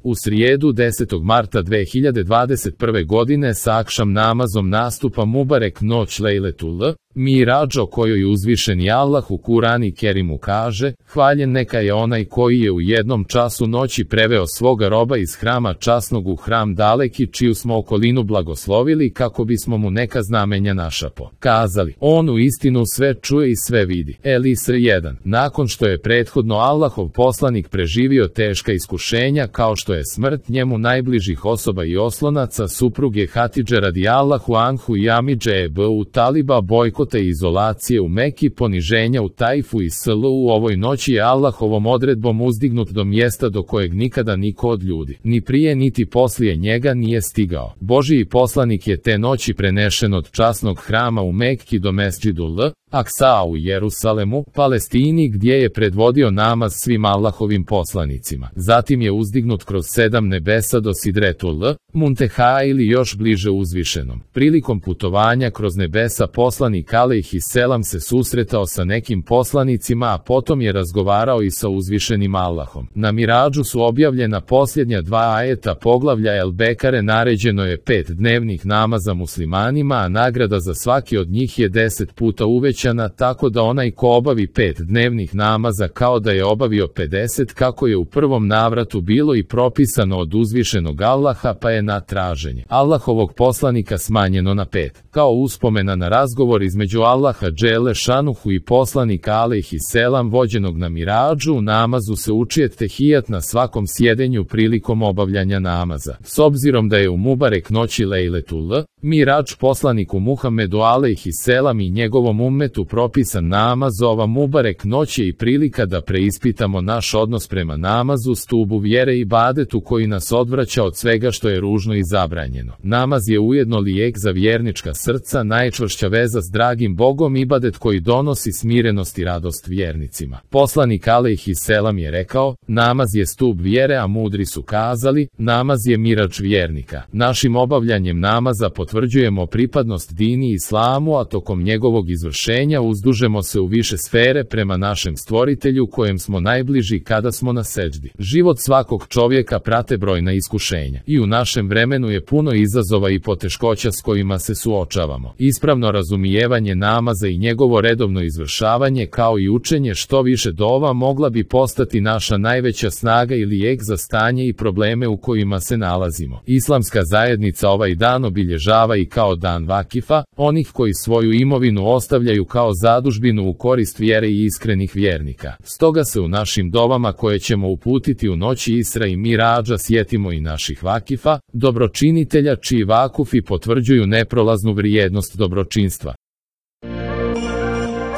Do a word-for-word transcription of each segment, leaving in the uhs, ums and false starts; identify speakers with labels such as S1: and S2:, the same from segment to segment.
S1: U srijedu desetog marta dve hiljade dvadeset prve godine sa akšam namazom nastupa Mubarek noć Lejletul Miradž, o kojoj uzvišeni Allah u Kurani Kerimu kaže: hvaljen neka je onaj koji je u jednom času noći preveo svoga roba iz hrama časnog u hram daleki, čiju smo okolinu blagoslovili kako bismo mu neka znamenja našapo kazali. On u istinu sve čuje i sve vidi. El-Isra jedan. Nakon što je prethodno Allahov poslanik preživio teška iskušenja kao što je smrt njemu najbližih osoba i oslonaca, supruge Hatidže radijallahu anhu i Amidže Ebu Taliba, bojkota i izolacije u Meki, poniženja u Tajfu i Sl, u ovoj noći je Allahovom odredbom uzdignut do mjesta do kojeg nikada niko od ljudi, ni prije niti poslije njega, nije stigao. Božiji poslanik je te noći prenešen od časnog hrama u Mekki do Mesdžidul Aksa u Jerusalemu, Palestini, gdje je predvodio namaz svim Allahovim poslanicima. Zatim je uzdignut kroz sedam nebesa do Sidretul Munteha ili još bliže uzvišenom. Prilikom putovanja kroz nebesa poslanik alejhiselam se susretao sa nekim poslanicima, a potom je razgovarao i sa uzvišenim Allahom. Na Miradžu su objavljena posljednja dva ajeta poglavlja El Bekare, naređeno je pet dnevnih namaza muslimanima, a nagrada za svaki od njih je deset puta uvećana, tako da onaj ko obavi pet dnevnih namaza kao da je obavio pedeset, kako je u prvom navratu bilo i propisano od uzvišenog Allaha, pa je na traženje Allahovog poslanika smanjeno na pet. Kao uspomena na razgovor između Allaha dželle šanuhu i poslanika alejhiselam vođenog na Miradžu, u namazu se uči tehijat na svakom sjedenju prilikom obavljanja namaza. S obzirom da je u Mubarek noći Lejletul Miradž poslaniku Muhammedu alejhiselam i njegovom ummetu propisan namaz, ova Mubarek noć je i prilika da preispitamo naš odnos prema namazu, stubu vjere i ibadetu koji nas odvraća od svega što je ružno i zabranjeno. Namaz je ujedno lijek za vjernička srca, najčvršća veza s dragim Bogom, ibadet koji donosi smirenost i radost vjernicima. Poslanik alejhiselam je rekao: namaz je stup vjere, a mudri su kazali: namaz je miradž vjernika. Našim obavljanjem namaza potvrđujemo pripadnost dini islamu, a tokom njegovog izvršenja uzdužemo se u više sfere prema našem stvoritelju kojem smo najbliži kada smo na seđdi. Život svakog čovjeka prate brojna iskušenja i u našem vremenu je puno izazova i poteškoća s kojima se suočavamo. Ispravno razumijevanje namaza i njegovo redovno izvršavanje kao i učenje što više dova mogla bi postati naša najveća snaga i lijek za stanje i probleme u kojima se nalazimo. Islamska zajednica ovaj dan obilježava i kao dan vakifa, onih koji svoju imovinu ostavljaju kao zadužbinu u korist vjere i iskrenih vjernika. Stoga se u našim dovama koje ćemo uputiti u noći Isra i Miradža sjetimo i naših vakifa, dobročinitelja čiji vakufi potvrđuju neprolaznu vrijednost dobročinstva.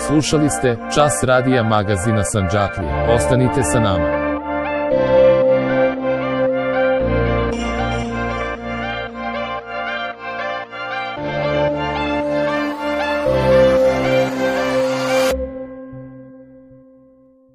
S1: Slušali ste Čas radija magazina Sandžaklija. Ostanite sa nama.